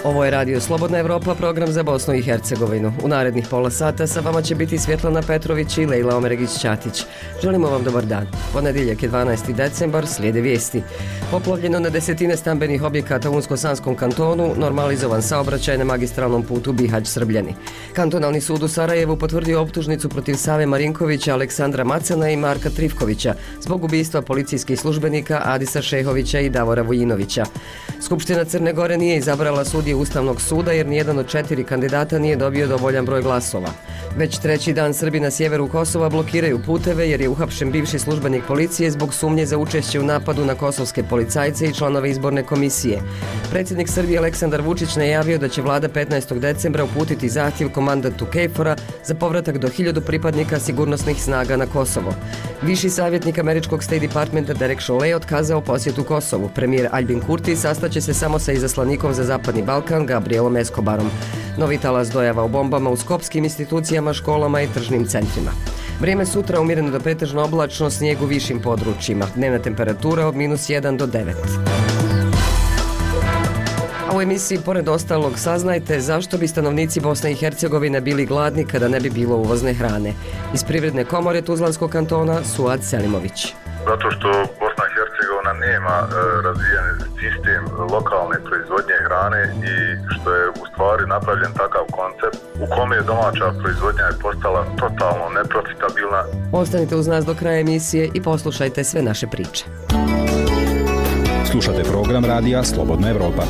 Ovo je Radio Slobodna Evropa, program za Bosnu i Hercegovinu. U narednih pola sata sa vama će biti Svjetlana Petrović i Lejla Omeregić-Ćatić. Želimo vam dobar dan. Ponedjeljak je 12. decembar, slijede vijesti. Poplavljeno na desetine stambenih objekata u Unsko-Sanskom kantonu, normalizovan saobraćaj na magistralnom putu Bihać-Srbljani. Kantonalni sud u Sarajevu potvrdio optužnicu protiv Save Marinkovića, Aleksandra Macana i Marka Trifkovića zbog ubistva policijskih službenika Adisa Šehovića i Davora Vujinovića. Skupština Crne Gore nije izabrala sudije Ustavnog suda jer nijedan od 4 kandidata nije dobio dovoljan broj glasova. Već treći dan Srbi na sjeveru Kosova blokiraju puteve jer je uhapšen bivši službenik policije zbog sumnje za učešće u napadu na kosovske policajce i članove izborne komisije. Predsjednik Srbije Aleksandar Vučić najavio da će vlada 15. decembra uputiti zahtjev komandantu KFOR-a za povratak do 1000 pripadnika sigurnosnih snaga na Kosovo. Viši savjetnik američkog State Departmenta Derek Chollet otkazao posjetu Kosovu. Premijer Albin Kurti sastaće se samo sa izaslanikom za Zapadni Balkan Gabrielom Escobarom. Novi talas dojava o bombama u skopskim institucijama, školama i tržnim centrima. Vrijeme sutra umjereno do pretežno oblačno, snijeg u višim područjima. Dnevna temperatura od -1 do 9. A u emisiji pored ostalog saznajte zašto bi stanovnici Bosne i Hercegovine bili gladni kada ne bi bilo uvozne hrane. Iz Privredne komore Tuzlanskog kantona Suad Selimović. Zato što Bosna i Hercegovina nema razvijen sistem lokalne proizvodnje hrane i što je u stvari napravljen takav koncept u kome je domaća proizvodnja je postala totalno neprofitabilna. Ostanite uz nas do kraja emisije i poslušajte sve naše priče. Slušate program radija Slobodna Evropa.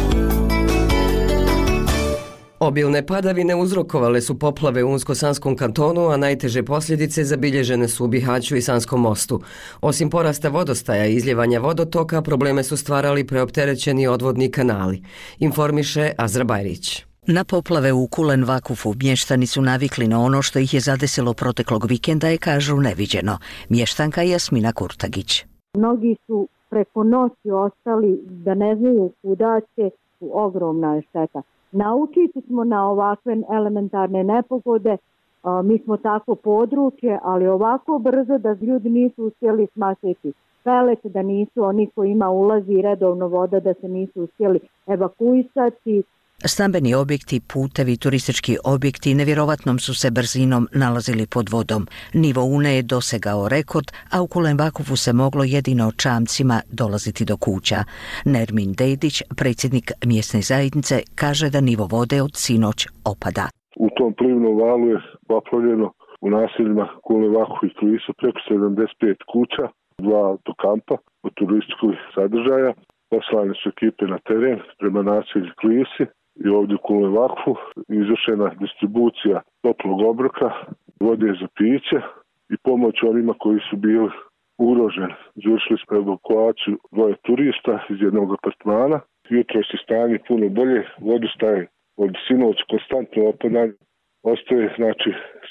Obilne padavine uzrokovale su poplave u Unsko-Sanskom kantonu, a najteže posljedice zabilježene su u Bihaću i Sanskom mostu. Osim porasta vodostaja i izljevanja vodotoka, probleme su stvarali preopterećeni odvodni kanali. Informiše Azra Bajrić. Na poplave u Kulen Vakufu mještani su navikli na ono što ih je zadesilo proteklog vikenda i kažu neviđeno. Mještanka Jasmina Kurtagić. Mnogi su preko noći ostali da ne znaju kuda će, ogromna je šteta. Naučiti smo na ovakve elementarne nepogode, mi smo tako područje, ali ovako brzo da ljudi nisu uspjeli smašiti pelet, da nisu oni koji ima ulazi redovno voda, da se nisu uspjeli evakuisati. Stambeni objekti, putevi, turistički objekti nevjerovatnom su se brzinom nalazili pod vodom. Nivo Une je dosegao rekord, a u Kulen Vakufu se moglo jedino čamcima dolaziti do kuća. Nermin Dedić, predsjednik mjesne zajednice, kaže da nivo vode od sinoć opada. U tom plivnom valu je poplavljeno u naseljima Kulen Vakufu i Klisa preko 75 kuća, 2 do kampa od turističkog sadržaja. Poslane su ekipe na teren prema naselju Klisi i ovdje u Kulen Vakufu izvršena distribucija toplog obroka, vode za piće i pomoć onima koji su bili ugroženi. Izvršili smo evakuaciju 2 turista iz jednog apartmana. Jutro je stanje puno bolje, vodostaje od sinoć konstantno opadanje. Ostaje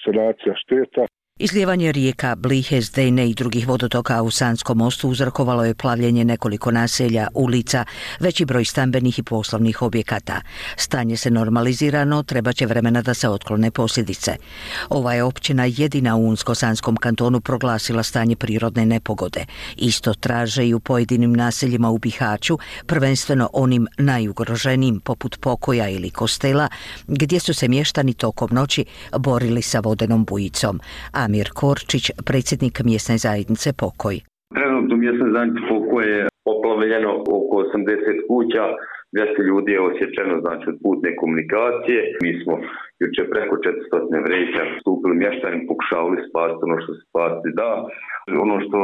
sanacija šteta. Izlijevanje rijeka Blihe, Zdejne i drugih vodotoka u Sanskom mostu uzrokovalo je plavljenje nekoliko naselja, ulica, veći broj stambenih i poslovnih objekata. Stanje se normalizira, no treba će vremena da se otklone posljedice. Ova je općina jedina u Unsko-Sanskom kantonu proglasila stanje prirodne nepogode. Isto traže i u pojedinim naseljima u Bihaću, prvenstveno onim najugroženijim poput Pokoja ili Kostela, gdje su se mještani tokom noći borili sa vodenom bujicom. Amir Korčić, predsjednik mjesne zajednice Pokoj. Trenutno mjesne zajednice Pokoj je poplavljeno oko 80 kuća, 200 ljudi je osjećeno od putne komunikacije. Mi smo jučer preko 400 vreća stupili mještani, pokušavali spasiti ono što se spasiti da. Ono što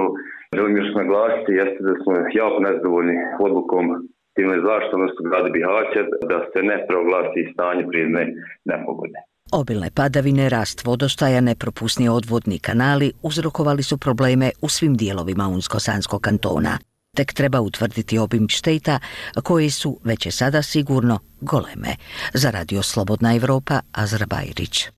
želim još naglasiti jeste da smo jako nezadovoljni odlukom civilne zaštite, odnosno grada Bihaća, da se ne proglasi stanje prirodne nepogode. Obilne padavine, rast vodostaja, nepropusni odvodni kanali uzrokovali su probleme u svim dijelovima Unsko-Sanskog kantona. Tek treba utvrditi obim šteta koje su već je sada sigurno goleme. Za Radio Slobodna Evropa, Azra Bajrić.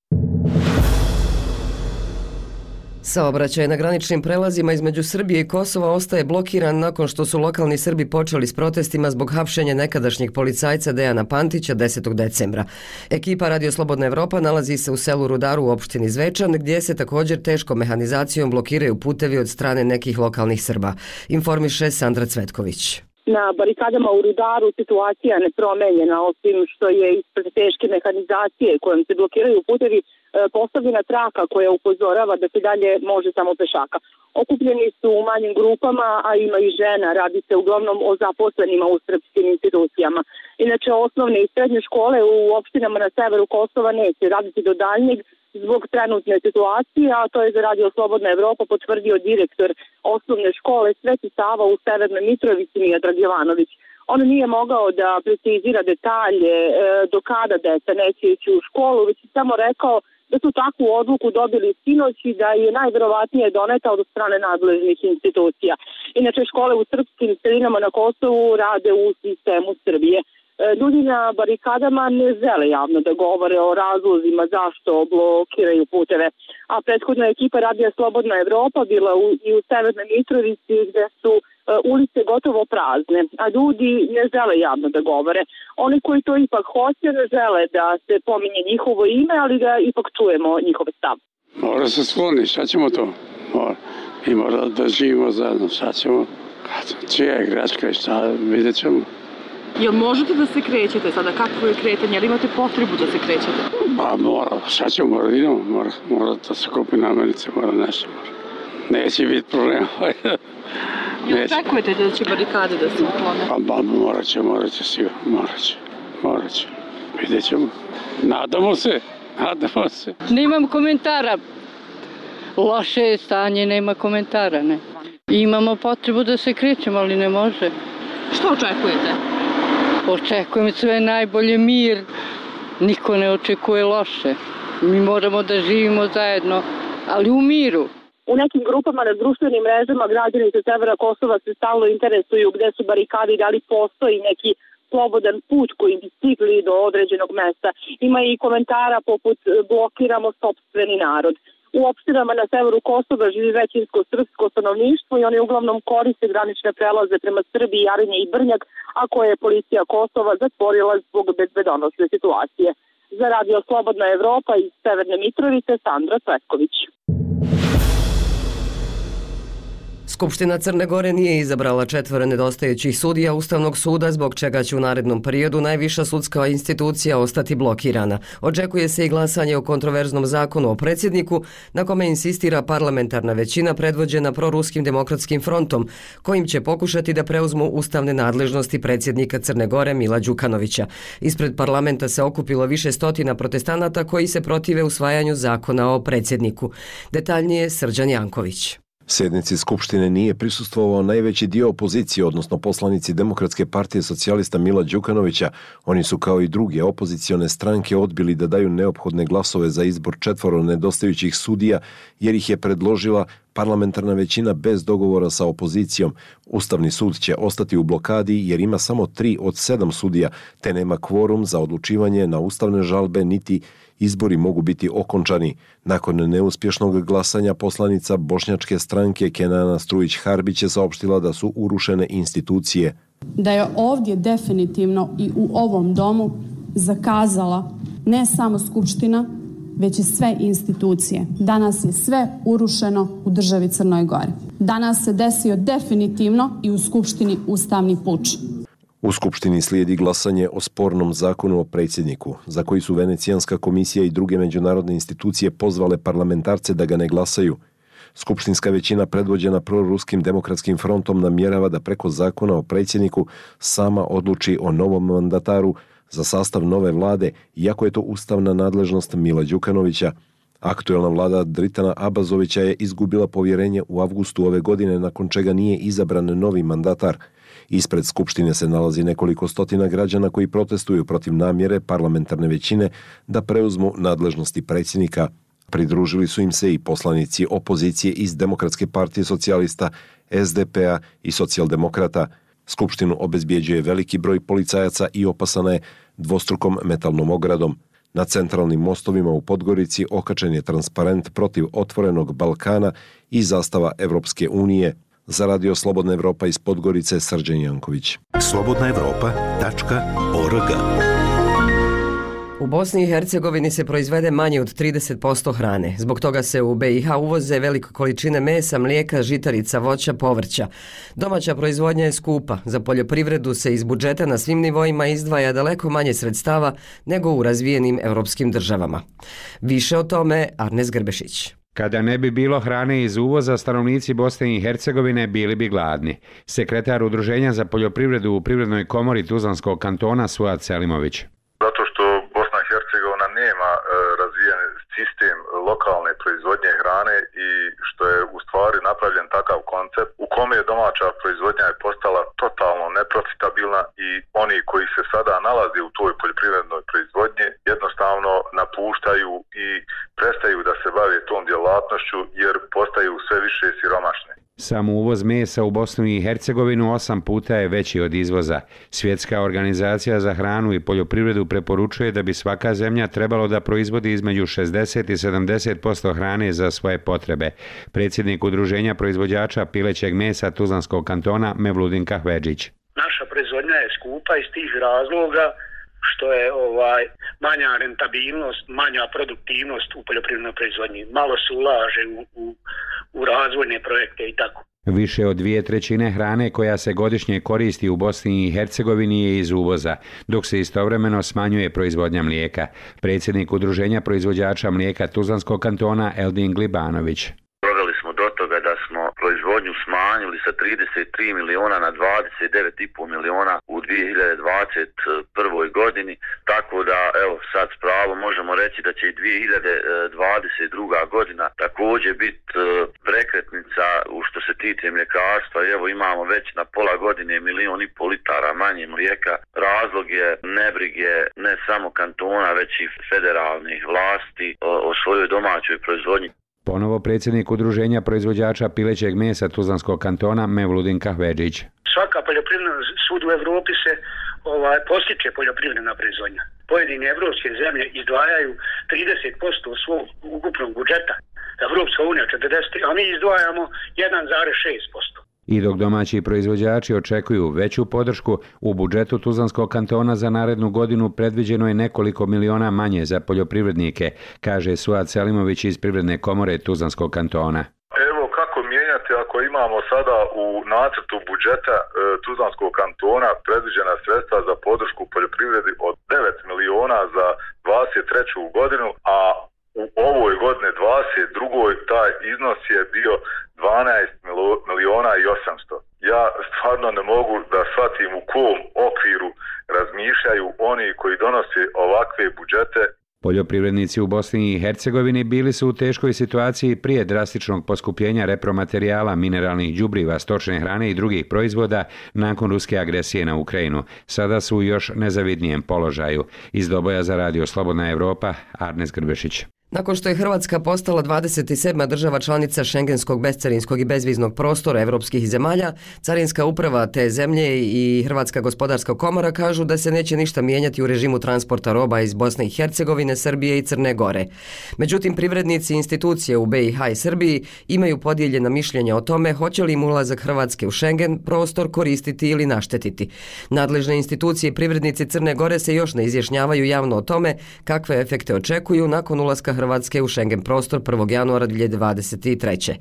Saobraćaj na graničnim prelazima između Srbije i Kosova ostaje blokiran nakon što su lokalni Srbi počeli s protestima zbog hapšenja nekadašnjeg policajca Dejana Pantića 10. decembra. Ekipa Radio Slobodna Evropa nalazi se u selu Rudaru u opštini Zvečan, gdje se također teškom mehanizacijom blokiraju putevi od strane nekih lokalnih Srba. Informiše Sandra Cvetković. Na barikadama u Rudaru situacija nepromenjena, osim što je ispred teške mehanizacije kojom se blokiraju putevi postavljena traka koja upozorava da se dalje može samo pešaka. Okupljeni su u manjim grupama, a ima i žena. Radi se uglavnom o zaposlenima u srpskim institucijama. Inače, osnovne i srednje škole u opštinama na severu Kosova neće raditi do daljnjeg zbog trenutne situacije, a to je za Radio Slobodna Evropa potvrdio direktor osnovne škole Sveti Sava u Severnoj Mitrovici Miodrag Jovanović. On nije mogao da precizira detalje do kada deca neće ići u školu, već je samo rekao da su takvu odluku dobili sinoć i da je najverovatnije doneta od strane nadležnih institucija. Inače, škole u srpskim sredinama na Kosovu rade u sistemu Srbije. Ljudi na barikadama ne žele javno da govore o razlozima zašto blokiraju puteve. A prethodna ekipa Radija Slobodna Evropa bila i u Severnoj Mitrovici gdje su ulice gotovo prazne, a ljudi ne žele javno da govore. Oni koji to ipak hoće ne žele da se pominje njihovo ime, ali da ipak čujemo njihove stav. Mora se skloni, šta ćemo to? Mi mora da živimo zajedno, šta ćemo? Čija je greška i šta, vidjet ćemo. Jel možete da se krećete sada? Kako je kretanje? Jel imate potrebu da se krećete? Pa mora, šta ćemo, mora da se kupi namirnice, mora nešto. Neće biti problema. Jel očekujete da će barikade da se uklone? Pa morat će sigurno, morat će. Vidjet ćemo. Nadamo se. Nemam komentara. Loše je stanje, nema komentara, ne. Imamo potrebu da se krećemo, ali ne može. Što očekujete? Očekujem sve najbolje, mir. Niko ne očekuje loše. Mi moramo da živimo zajedno, ali u miru. U nekim grupama na društvenim mrežama građani sa severa Kosova se stalno interesuju gde su barikade i da li postoji neki slobodan put koji bi stigli do određenog mesta. Ima i komentara poput blokiramo sopstveni narod. U opštinama na severu Kosova živi većinsko srpsko stanovništvo i oni uglavnom koriste granične prelaze prema Srbiji, Jarinje i Brnjak, a koje je policija Kosova zatvorila zbog bezbedonosne situacije. Za Radio Slobodna Evropa iz Severne Mitrovice, Sandra Cvetković. Skupština Crne Gore nije izabrala 4 nedostajućih sudija Ustavnog suda, zbog čega će u narednom periodu najviša sudska institucija ostati blokirana. Očekuje se i glasanje o kontroverznom zakonu o predsjedniku, na kome insistira parlamentarna većina predvođena proruskim demokratskim frontom, kojim će pokušati da preuzmu ustavne nadležnosti predsjednika Crne Gore Mila Đukanovića. Ispred parlamenta se okupilo više stotina protestanata koji se protive usvajanju zakona o predsjedniku. Detaljnije Srđan Janković. Sjednici Skupštine nije prisustvovao najveći dio opozicije, odnosno poslanici Demokratske partije socijalista Mila Đukanovića. Oni su kao i druge opozicione stranke odbili da daju neophodne glasove za izbor 4 nedostajućih sudija, jer ih je predložila parlamentarna većina bez dogovora sa opozicijom. Ustavni sud će ostati u blokadi jer ima samo 3 od 7 sudija, te nema kvorum za odlučivanje na ustavne žalbe, niti izbori mogu biti okončani. Nakon neuspješnog glasanja poslanica bošnjačke stranke Kenana Strujić-Harbić je saopštila da su urušene institucije. Da je ovdje definitivno i u ovom domu zakazala ne samo Skupština, već i sve institucije. Danas je sve urušeno u državi Crnoj Gori. Danas se desio definitivno i u Skupštini ustavni puč. U Skupštini slijedi glasanje o spornom zakonu o predsjedniku, za koji su Venecijanska komisija i druge međunarodne institucije pozvale parlamentarce da ga ne glasaju. Skupštinska većina predvođena proruskim demokratskim frontom namjerava da preko zakona o predsjedniku sama odluči o novom mandataru za sastav nove vlade, iako je to ustavna nadležnost Mila Đukanovića. Aktuelna vlada Dritana Abazovića je izgubila povjerenje u avgustu ove godine, nakon čega nije izabran novi mandatar. Ispred Skupštine se nalazi nekoliko stotina građana koji protestuju protiv namjere parlamentarne većine da preuzmu nadležnosti predsjednika. Pridružili su im se i poslanici opozicije iz Demokratske partije socijalista, SDP-a i socijaldemokrata. Skupštinu obezbjeđuje veliki broj policajaca i opasana je dvostrukom metalnom ogradom. Na centralnim mostovima u Podgorici okačen je transparent protiv otvorenog Balkana i zastava Evropske unije. Za Radio Slobodna Evropa iz Podgorice, Srđan Janković. slobodnaevropa.org. U Bosni i Hercegovini se proizvede manje od 30% hrane. Zbog toga se u BiH uvoze velike količine mesa, mlijeka, žitarica, voća, povrća. Domaća proizvodnja je skupa. Za poljoprivredu se iz budžeta na svim nivoima izdvaja daleko manje sredstava nego u razvijenim europskim državama. Više o tome Arnes Grbešić. Kada ne bi bilo hrane iz uvoza, stanovnici Bosne i Hercegovine bili bi gladni. Sekretar Udruženja za poljoprivredu u Privrednoj komori Tuzlanskog kantona Suad Selimović. Zato što Bosna i Hercegovina nema razvijen sistem lokalne proizvodnje hrane i što je u stvari napravljen takav koncept u kome je domaća proizvodnja je postala totalno neprofitabilna i oni koji se sada nalaze u toj poljoprivrednoj proizvodnji jednostavno napuštaju i prestaju da se bave tom djelatnošću jer postaju sve više siromašni. Sam uvoz mesa u Bosnu i Hercegovinu 8 puta je veći od izvoza. Svjetska organizacija za hranu i poljoprivredu preporučuje da bi svaka zemlja trebalo da proizvodi između 60 i 70% hrane za svoje potrebe. Predsjednik Udruženja proizvođača pilećeg mesa Tuzlanskog kantona Mevludin Kahvedžić. Naša proizvodnja je skupa iz tih razloga što je manja rentabilnost, manja produktivnost u poljoprivrednoj proizvodnji. Malo se ulaže u razvojne projekte i tako. Više od 2/3 hrane koja se godišnje koristi u Bosni i Hercegovini je iz uvoza, dok se istovremeno smanjuje proizvodnja mlijeka. Predsjednik Udruženja proizvođača mlijeka Tuzlanskog kantona Eldin Glibanović. Doveli smo do toga da smo proizvodnju smanjili sa 33 miliona na 29,5 miliona u 2021. godini, tako da evo sad s pravom možemo reći da će i 2022. godina također biti prekretnica u što se tiče mljekarstva. Evo imamo već na pola godine 1,5 miliona litara manje mlijeka. Razlog je nebrige ne samo kantona već i federalnih vlasti o svojoj domaćoj proizvodnji. Ponovo predsjednik Udruženja proizvođača pilećeg mesa Tuzlanskog kantona Mevludin Kahvedžić. Svaka poljoprivredna svud u Evropi se postiče poljoprivredna proizvodnja. Pojedine evropske zemlje izdvajaju 30% svog ukupnog budžeta. Evropska unija 40%, a mi izdvajamo 1,6%. I dok domaći proizvođači očekuju veću podršku, u budžetu Tuzlanskog kantona za narednu godinu predviđeno je nekoliko miliona manje za poljoprivrednike, kaže Suad Selimović iz Privredne komore Tuzlanskog kantona. Evo kako mijenjati ako imamo sada u nacrtu budžeta Tuzlanskog kantona predviđena sredstva za podršku poljoprivredi od 9 miliona za 23. godinu, a u ovoj godine 22. taj iznos je bio 12 miliona i 800. Ja stvarno ne mogu da shvatim u kom okviru razmišljaju oni koji donose ovakve budžete. Poljoprivrednici u Bosni i Hercegovini bili su u teškoj situaciji prije drastičnog poskupljenja repromaterijala, mineralnih đubriva, stočne hrane i drugih proizvoda nakon ruske agresije na Ukrajinu. Sada su u još nezavidnijem položaju. Iz Doboja za Radio Slobodna Evropa, Arnes Grbešić. Nakon što je Hrvatska postala 27. država članica šengenskog bescarinskog i bezviznog prostora evropskih zemalja, Carinska uprava te zemlje i Hrvatska gospodarska komora kažu da se neće ništa mijenjati u režimu transporta roba iz Bosne i Hercegovine, Srbije i Crne Gore. Međutim, privrednici institucije u BiH i Srbiji imaju podijeljena mišljenja o tome hoće li im ulazak Hrvatske u Schengen prostor koristiti ili naštetiti. Nadležne institucije i privrednici Crne Gore se još ne izjašnjavaju javno o tome kakve efekte očekuju nakon ulaska Hrvatske u Schengen prostor 1. januara 2023.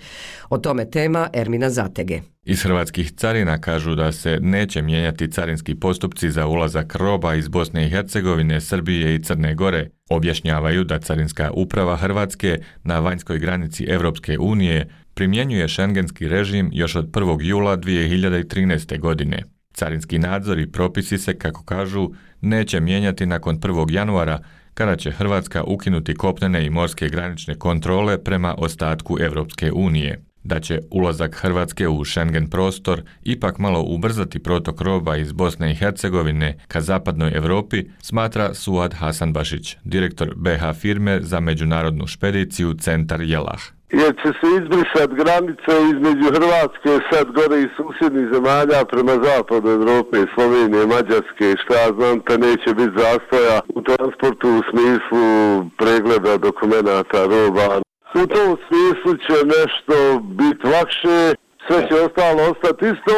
O tome tema Ermina Zatege. Iz hrvatskih carina kažu da se neće mijenjati carinski postupci za ulazak roba iz Bosne i Hercegovine, Srbije i Crne Gore. Objašnjavaju da Carinska uprava Hrvatske na vanjskoj granici Evropske unije primjenjuje šengenski režim još od 1. jula 2013. godine. Carinski nadzor i propisi se, kako kažu, neće mijenjati nakon 1. januara, kada će Hrvatska ukinuti kopnene i morske granične kontrole prema ostatku Evropske unije. Da će ulazak Hrvatske u Schengen prostor ipak malo ubrzati protok roba iz Bosne i Hercegovine ka zapadnoj Europi, smatra Suad Hasanbašić, direktor BH firme za međunarodnu špediciju Centar Jelah. jer će se izbrisati granice između Hrvatske, sad gore i susjednih zemalja prema zapadu Evrope, Slovenije, Mađarske, šta ja znam, te neće biti zastoja u transportu u smislu pregleda dokumenata, roba. U tom smislu će nešto biti lakše, sve će ostalo ostati isto,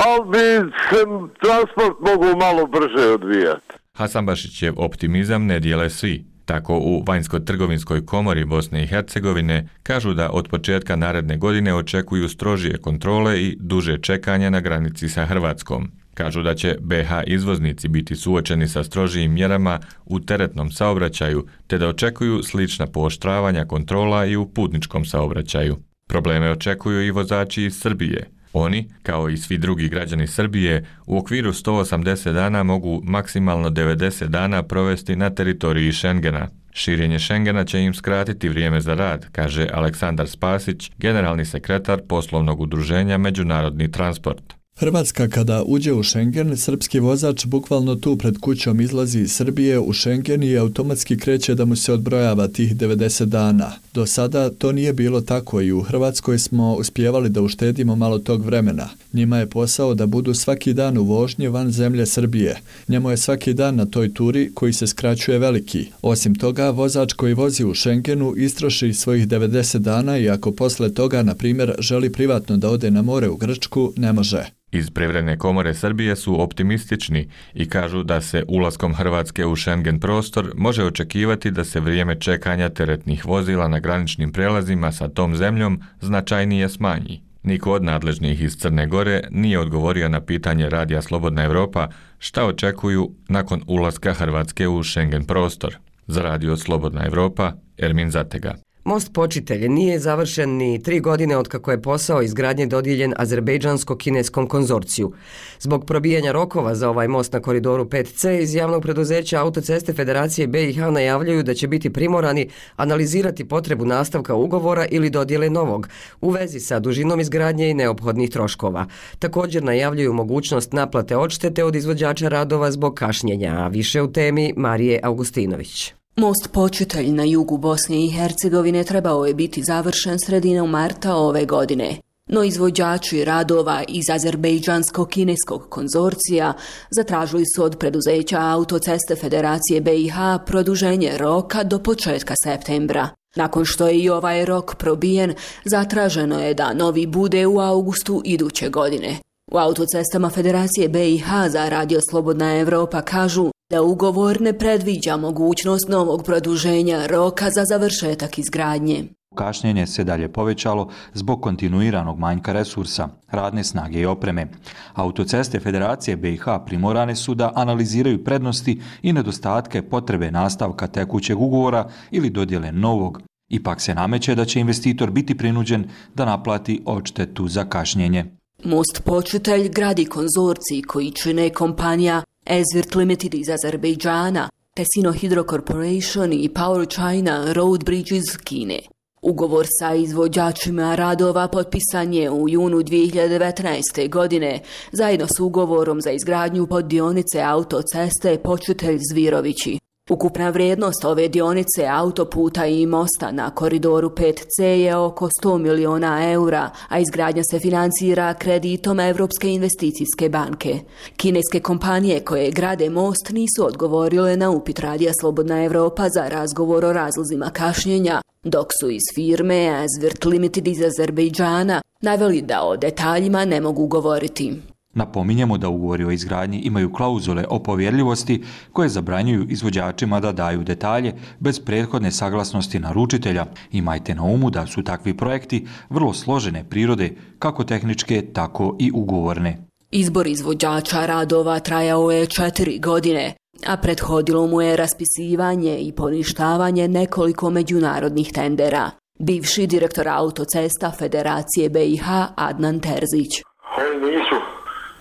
ali bi se transport mogu malo brže odvijati. Hasanbašićev optimizam ne dijele svi. Tako u Vanjsko-trgovinskoj komori Bosne i Hercegovine kažu da od početka naredne godine očekuju strožije kontrole i duže čekanje na granici sa Hrvatskom. Kažu da će BH izvoznici biti suočeni sa strožijim mjerama u teretnom saobraćaju, te da očekuju slična pooštravanja kontrola i u putničkom saobraćaju. Probleme očekuju i vozači iz Srbije. Oni, kao i svi drugi građani Srbije, u okviru 180 dana mogu maksimalno 90 dana provesti na teritoriji Šengena. Širenje Šengena će im skratiti vrijeme za rad, kaže Aleksandar Spasić, generalni sekretar poslovnog udruženja Međunarodni transport. Hrvatska kada uđe u Schengen, srpski vozač bukvalno tu pred kućom izlazi iz Srbije u Schengen i automatski kreće da mu se odbrojava tih 90 dana. Do sada to nije bilo tako i u Hrvatskoj smo uspijevali da uštedimo malo tog vremena. Njima je posao da budu svaki dan u vožnji van zemlje Srbije. Njemu je svaki dan na toj turi koji se skraćuje veliki. Osim toga, vozač koji vozi u Schengenu istroši svojih 90 dana i ako posle toga, na primjer, želi privatno da ode na more u Grčku, ne može. Iz Privredne komore Srbije su optimistični i kažu da se ulaskom Hrvatske u Schengen prostor može očekivati da se vrijeme čekanja teretnih vozila na graničnim prelazima sa tom zemljom značajnije smanji. Niko od nadležnih iz Crne Gore nije odgovorio na pitanje Radija Slobodna Evropa šta očekuju nakon ulaska Hrvatske u Schengen prostor. Za Radio Slobodna Evropa, Ermin Zatega. Most Počitelj nije završen ni 3 godine otkako je posao izgradnje dodijeljen azerbejdžansko-kineskom konzorciju. Zbog probijanja rokova za ovaj most na koridoru 5C iz javnog preduzeća Autoceste Federacije BiH najavljuju da će biti primorani analizirati potrebu nastavka ugovora ili dodjele novog u vezi sa dužinom izgradnje i neophodnih troškova. Također najavljuju mogućnost naplate odštete od izvođača radova zbog kašnjenja, a više u temi Marije Augustinović. Most Počitelj na jugu Bosne i Hercegovine trebao je biti završen sredinom marta ove godine. No izvođači radova iz azerbejdžansko-kineskog konzorcija zatražili su od preduzeća Autoceste Federacije BiH produženje roka do početka septembra. Nakon što je i ovaj rok probijen, zatraženo je da novi bude u augustu iduće godine. U Autocestama Federacije BiH za Radio Slobodna Evropa kažu da ugovor ne predviđa mogućnost novog produženja roka za završetak izgradnje. Kašnjenje se dalje povećalo zbog kontinuiranog manjka resursa, radne snage i opreme. Autoceste Federacije BiH primorane su da analiziraju prednosti i nedostatke potrebe nastavka tekućeg ugovora ili dodjele novog. Ipak se nameće da će investitor biti prinuđen da naplati odštetu za kašnjenje. Most Počitelj gradi konzorcij koji čine kompanija Ezvirt Limited iz Azerbejdžana, te Sino Hydro Corporation i Power China Road Bridge iz Kine. Ugovor sa izvođačima radova potpisan je u junu 2019. godine, zajedno s ugovorom za izgradnju poddionice autoceste Počitelj-Zvirovići. Ukupna vrijednost ove dionice autoputa i mosta na koridoru 5C je oko 100 miliona eura, a izgradnja se financira kreditom Europske investicijske banke. Kineske kompanije koje grade most nisu odgovorile na upit Radija Slobodna Evropa za razgovor o razlozima kašnjenja, dok su iz firme Ezvirt Limited iz Azerbejdžana naveli da o detaljima ne mogu govoriti. Napominjemo da ugovori o izgradnji imaju klauzule o povjerljivosti koje zabranjuju izvođačima da daju detalje bez prethodne saglasnosti naručitelja. Imajte na umu da su takvi projekti vrlo složene prirode, kako tehničke, tako i ugovorne. Izbor izvođača radova trajao je 4 godine, a prethodilo mu je raspisivanje i poništavanje nekoliko međunarodnih tendera. Bivši direktor Autocesta Federacije BiH Adnan Terzić. Oni nisu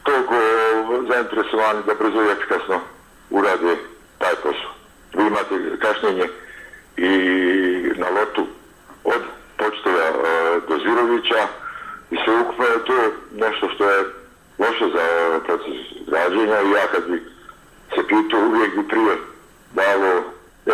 toliko zainteresovani da brzo i efikasno urade taj posao. Vi imate kašnjenje i na lotu od Počitelja do Zvirovića i sve ukupno je to nešto što je loše za proces građenja i ja kad bi se pitao uvijek bi prije dalo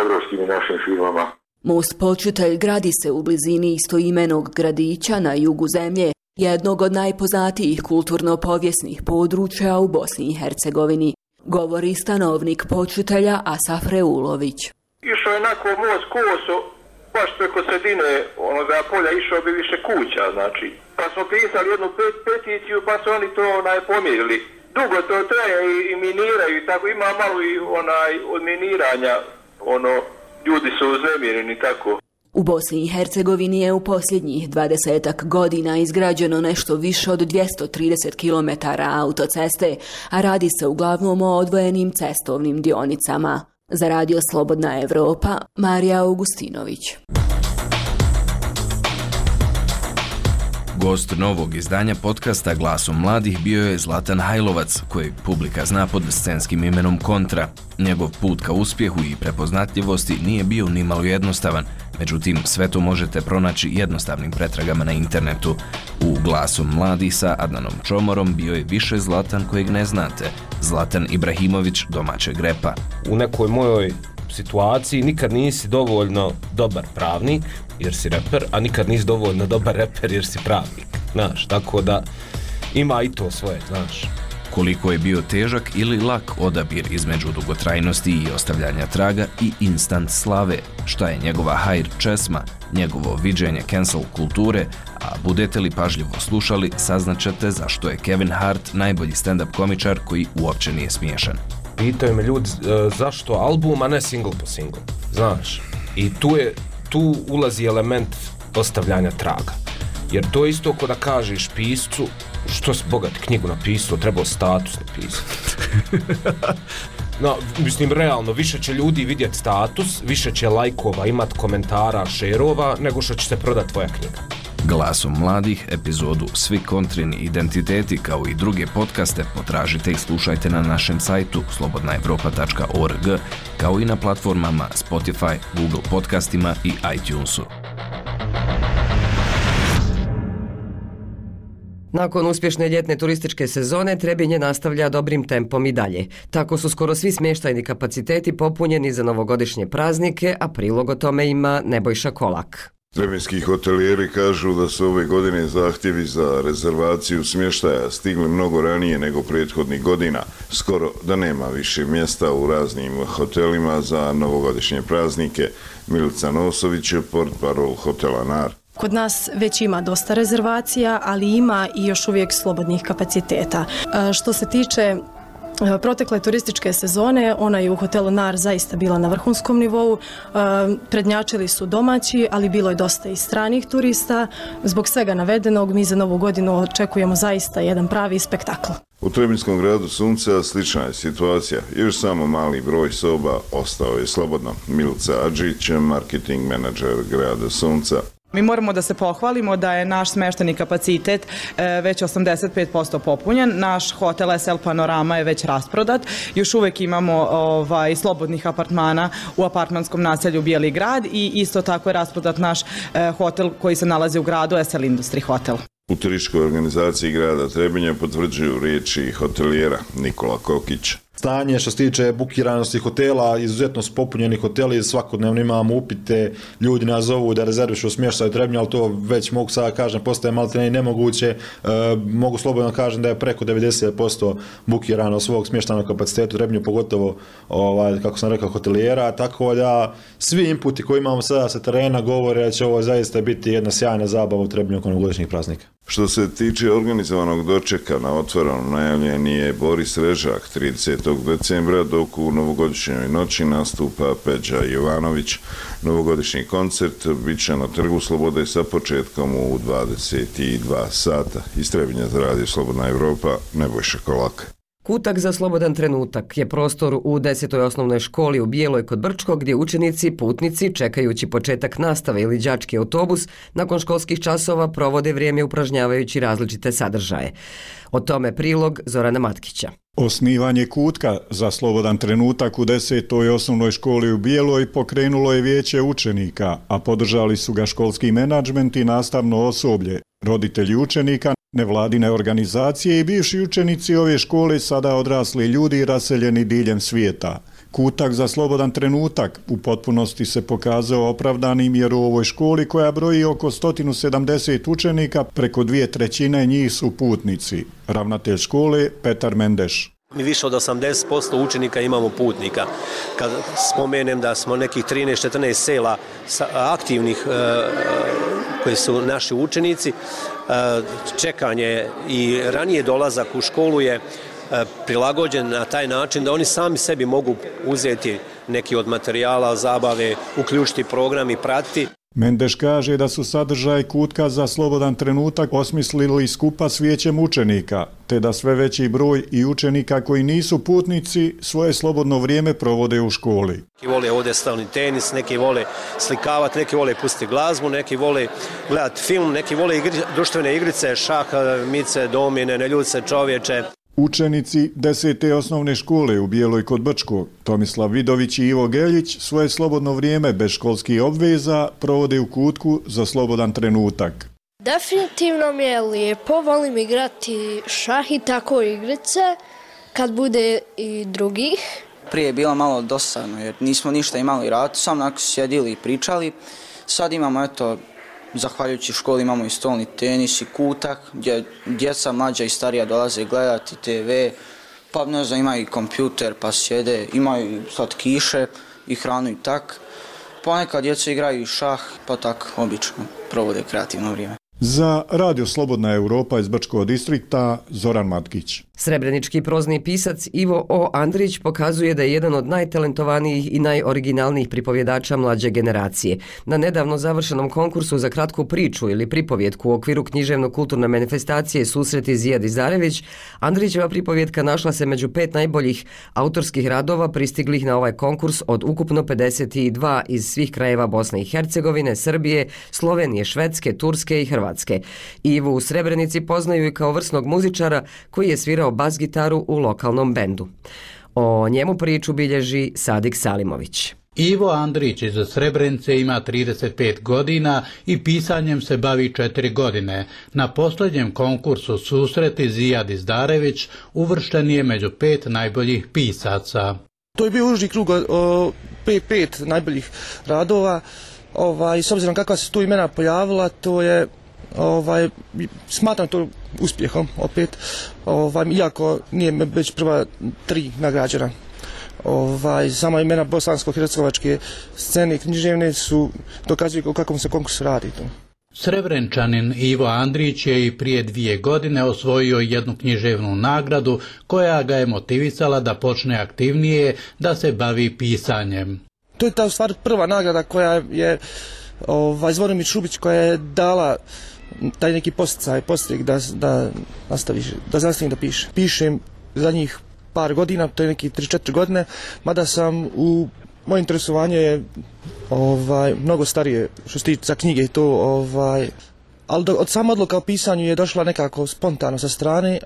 evropskim i našim firmama. Most Počitelj gradi se u blizini istoimenog gradića na jugu zemlje, jednog od najpoznatijih kulturno-povijesnih područja u Bosni i Hercegovini, govori stanovnik Počitelja Asaf Reulović. Išao je onako most koso, baš preko sredine onoga polja, išao bi više kuća, znači. Pa smo pisali jednu peticiju, pa su oni to pomirili. Dugo to traje i miniraju i tako, ima malo i od miniranja, ljudi su uznemireni tako. U Bosni i Hercegovini je u posljednjih 20 godina izgrađeno nešto više od 230 km autoceste, a radi se uglavnom o odvojenim cestovnim dionicama. Za Radio Slobodna Evropa, Marija Augustinović. Gost novog izdanja podcasta Glasom mladih bio je Zlatan Hajlovac, kojeg publika zna pod scenskim imenom Kontra. Njegov put ka uspjehu i prepoznatljivosti nije bio nimalo jednostavan, međutim sve to možete pronaći jednostavnim pretragama na internetu. U Glasom mladih sa Adnanom Čomorom bio je više Zlatan kojeg ne znate, Zlatan Ibrahimović domaćeg repa. U nekoj mojoj situaciji nikad nisi dovoljno dobar pravnik jer si reper, a nikad nisi dovoljno dobar reper jer si pravnik, znaš, tako da ima i to svoje, znaš. Koliko je bio težak ili lak odabir između dugotrajnosti i ostavljanja traga i instant slave, šta je njegova hajr česma, njegovo viđenje cancel kulture, a budete li pažljivo slušali, saznaćete zašto je Kevin Hart najbolji stand-up komičar koji uopće nije smiješan. Pitaju me ljudi zašto album, a ne single po single, znaš. I tu ulazi element ostavljanja traga. Jer to je isto ko da kažeš piscu, što si bogat knjigu napisao, trebao status napisati. No, mislim, realno, više će ljudi vidjeti status, više će lajkova, imat komentara, šerova, nego što će se prodati tvoja knjiga. Glasom mladih, epizodu Svi kontrini identiteti kao i druge podcaste potražite i slušajte na našem sajtu slobodnaevropa.org, kao i na platformama Spotify, Google podcastima i iTunesu. Nakon uspješne ljetne turističke sezone Trebinje nastavlja dobrim tempom i dalje. Tako su skoro svi smještajni kapaciteti popunjeni za novogodišnje praznike, a prilog o tome ima Nebojša Kolak. Trebinski hotelijeri kažu da su ove godine zahtjevi za rezervaciju smještaja stigli mnogo ranije nego prethodnih godina. Skoro da nema više mjesta u raznim hotelima za novogodišnje praznike. Milica Nosović je portparol hotela NAR. Kod nas već ima dosta rezervacija, ali ima i još uvijek slobodnih kapaciteta. Što se tiče protekle turističke sezone, ona je u hotelu NAR zaista bila na vrhunskom nivou. Prednjačili su domaći, ali bilo je dosta i stranih turista. Zbog svega navedenog, mi za novu godinu očekujemo zaista jedan pravi spektakl. U Trebinskom gradu Sunca slična je situacija. Još samo mali broj soba ostao je slobodno. Milica Adžić, marketing menadžer grada Sunca. Mi moramo da se pohvalimo da je naš smještajni kapacitet već 85% popunjen. Naš hotel SL Panorama je već rasprodat. Još uvijek imamo slobodnih apartmana u apartmanskom naselju Bijeli grad i isto tako je rasprodat naš hotel koji se nalazi u gradu SL Industry Hotel. U turističkoj organizaciji grada Trebinja potvrđuju riječi hotelijera Nikola Kokić. Stanje što se tiče bukiranosti hotela, izuzetno su popunjeni hoteli, svakodnevno imamo upite, ljudi nas zovu da rezervišu smještaj u Trebinju, ali to već mogu sada kažem, postaje malo nemoguće. Mogu slobodno kažem da je preko 90% bukirano svog smještajnog kapaciteta u Trebinju, pogotovo, kako sam rekao, hotelijera, tako da svi inputi koji imamo sada sa terena govore da će ovo zaista biti jedna sjajna zabava u Trebinju oko novogodišnjih praznika. Što se tiče organizovanog dočeka na otvorenom, najavljen je Boris Režak 30. decembra, dok u novogodišnjoj noći nastupa Peđa Jovanović. Novogodišnji koncert bit će na Trgu Slobode sa početkom u 22 sata. Iz Trebinja za Radio Slobodna Evropa, Nebojša Kolak. Kutak za slobodan trenutak je prostor u 10. osnovnoj školi u Bijeloj kod Brčkog gdje učenici, putnici, čekajući početak nastave ili đački autobus, nakon školskih časova provode vrijeme upražnjavajući različite sadržaje. O tome prilog Zorana Matkića. Osnivanje kutka za slobodan trenutak u 10. osnovnoj školi u Bijeloj pokrenulo je vijeće učenika, a podržali su ga školski menadžment i nastavno osoblje, roditelji učenika, nevladine organizacije i bivši učenici ove škole, sada odrasli ljudi raseljeni diljem svijeta. Kutak za slobodan trenutak u potpunosti se pokazao opravdanim jer u ovoj školi koja broji oko 170 učenika, preko 2/3 njih su putnici. Ravnatelj škole Petar Mendeš. Mi više od 80% učenika imamo putnika. Kad spomenem da smo nekih 13-14 sela aktivnih koji su naši učenici, čekanje i ranije dolazak u školu je prilagođen na taj način da oni sami sebi mogu uzeti neki od materijala, zabave, uključiti program i pratiti. Mendeš kaže da su sadržaj kutka za slobodan trenutak osmislili skupa s vijećem učenika, te da sve veći broj i učenika koji nisu putnici svoje slobodno vrijeme provode u školi. Neki vole ovdje stavni tenis, neki vole slikavati, neki vole pustiti glazbu, neki vole gledati film, neki vole društvene igrice, šah, mice, domine, neljudce, čovječe. Učenici 10. osnovne škole u Bijeloj kod Brčkog, Tomislav Vidović i Ivo Geljić, svoje slobodno vrijeme bez školskih obveza provode u kutku za slobodan trenutak. Definitivno mi je lijepo, volim igrati šah i tako igrice, kad bude i drugih. Prije je bilo malo dosadno jer nismo ništa imali raditi, samo onako sjedili i pričali. Sad imamo, eto, zahvaljujući školi imamo i stolni tenis i kutak gdje djeca mlađa i starija dolaze gledati TV, pa ne znam, imaju i kompjuter pa sjede, imaju slatkiše i hranu i tak. Ponekad djeca igraju i šah, pa tak obično provode kreativno vrijeme. Za Radio Slobodna Europa iz Brčkog distrikta Zoran Matkić. Srebrenički prozni pisac Ivo O. Andrić pokazuje da je jedan od najtalentovanijih i najoriginalnijih pripovjedača mlađe generacije. Na nedavno završenom konkursu za kratku priču ili pripovjetku u okviru književno-kulturne manifestacije Susreti Zijad Izdarević, Andrićeva pripovjetka našla se među 5 najboljih autorskih radova pristiglih na ovaj konkurs od ukupno 52 iz svih krajeva Bosne i Hercegovine, Srbije, Slovenije, Švedske, Turske i Hrvatske. Ivu u Srebrenici poznaju i kao vrsnog muzičara koji je svirao bas-gitaru u lokalnom bendu. O njemu priču bilježi Sadik Salimović. Ivo Andrić iz Srebrenice ima 35 godina i pisanjem se bavi 4 godine. Na posljednjem konkursu Susreti Zijad Izdarević uvršten je među 5 najboljih pisaca. To je bio uži krug 5 najboljih radova. S obzirom kakva se tu imena pojavila, to je smatram to uspjehom opet, iako nije već prva 3 nagrađena. Sama imena bosansko-hercegovačke scene književne su dokazuju o kakvom se konkursu radi. Srebrenčanin Ivo Andrić je i prije 2 godine osvojio jednu književnu nagradu koja ga je motivisala da počne aktivnije da se bavi pisanjem. To je ta u stvari prva nagrada koja je Zvoromir Šubić koja je dala taj neki posticaj da nastavim da piše. Pišem zadnjih par godina, to je neki 3-4 godine, mada sam moje interesovanje je mnogo starije što se tiče za knjige i to, ali od sama odluka o pisanju je došla nekako spontano sa strane,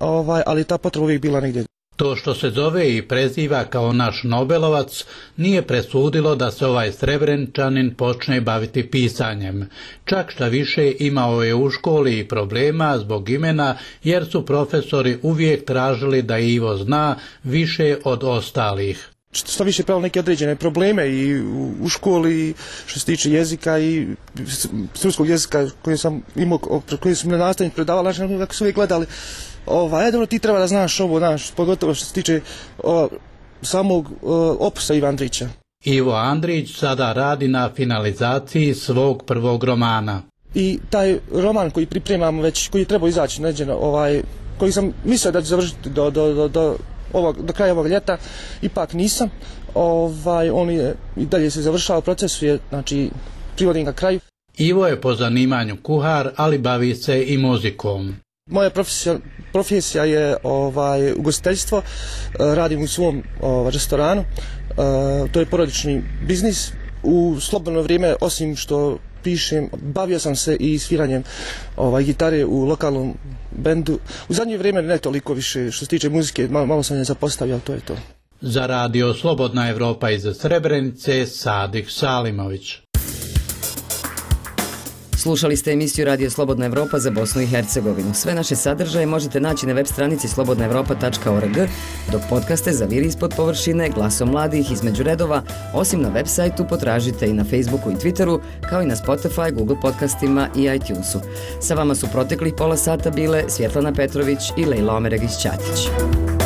ali ta potreba uvijek bila negdje. To što se zove i preziva kao naš Nobelovac nije presudilo da se ovaj Srebrenčanin počne baviti pisanjem. Čak šta više imao je u školi i problema zbog imena jer su profesori uvijek tražili da Ivo zna više od ostalih. Što više pravilo neke određene probleme i u školi što se tiče jezika i srpskog jezika koji sam imao, koji su mi nastavnik predavali, znači kako su uvijek gledali. Dobro, ti treba da znaš ovo, pogotovo što se tiče samog opusa Iva Andrića. Ivo Andrić sada radi na finalizaciji svog prvog romana. I taj roman koji pripremamo već, koji je trebao izaći neđeno, koji sam mislio da ću završiti do kraja ovog ljeta, ipak nisam. On je i dalje se završava, proces je, znači, privodim ga kraju. Ivo je po zanimanju kuhar, ali bavi se i muzikom. Moja profesija je ugostiteljstvo, radim u svom restoranu, to je porodični biznis. U slobodno vrijeme, osim što pišem, bavio sam se i sviranjem gitare u lokalnom bendu. U zadnje vrijeme ne toliko više što se tiče muzike, malo sam je zapostavio, to je to. Za Radio Slobodna Evropa iz Srebrenice, Sadik Salimović. Slušali ste emisiju Radio Slobodna Evropa za Bosnu i Hercegovinu. Sve naše sadržaje možete naći na web stranici slobodnaevropa.org, dok podcaste zaviri ispod površine Glasom mladih između redova, osim na web sajtu potražite i na Facebooku i Twitteru, kao i na Spotify, Google podcastima i iTunesu. Sa vama su proteklih pola sata bile Svjetlana Petrović i Lejla Omeregić-Ćatić.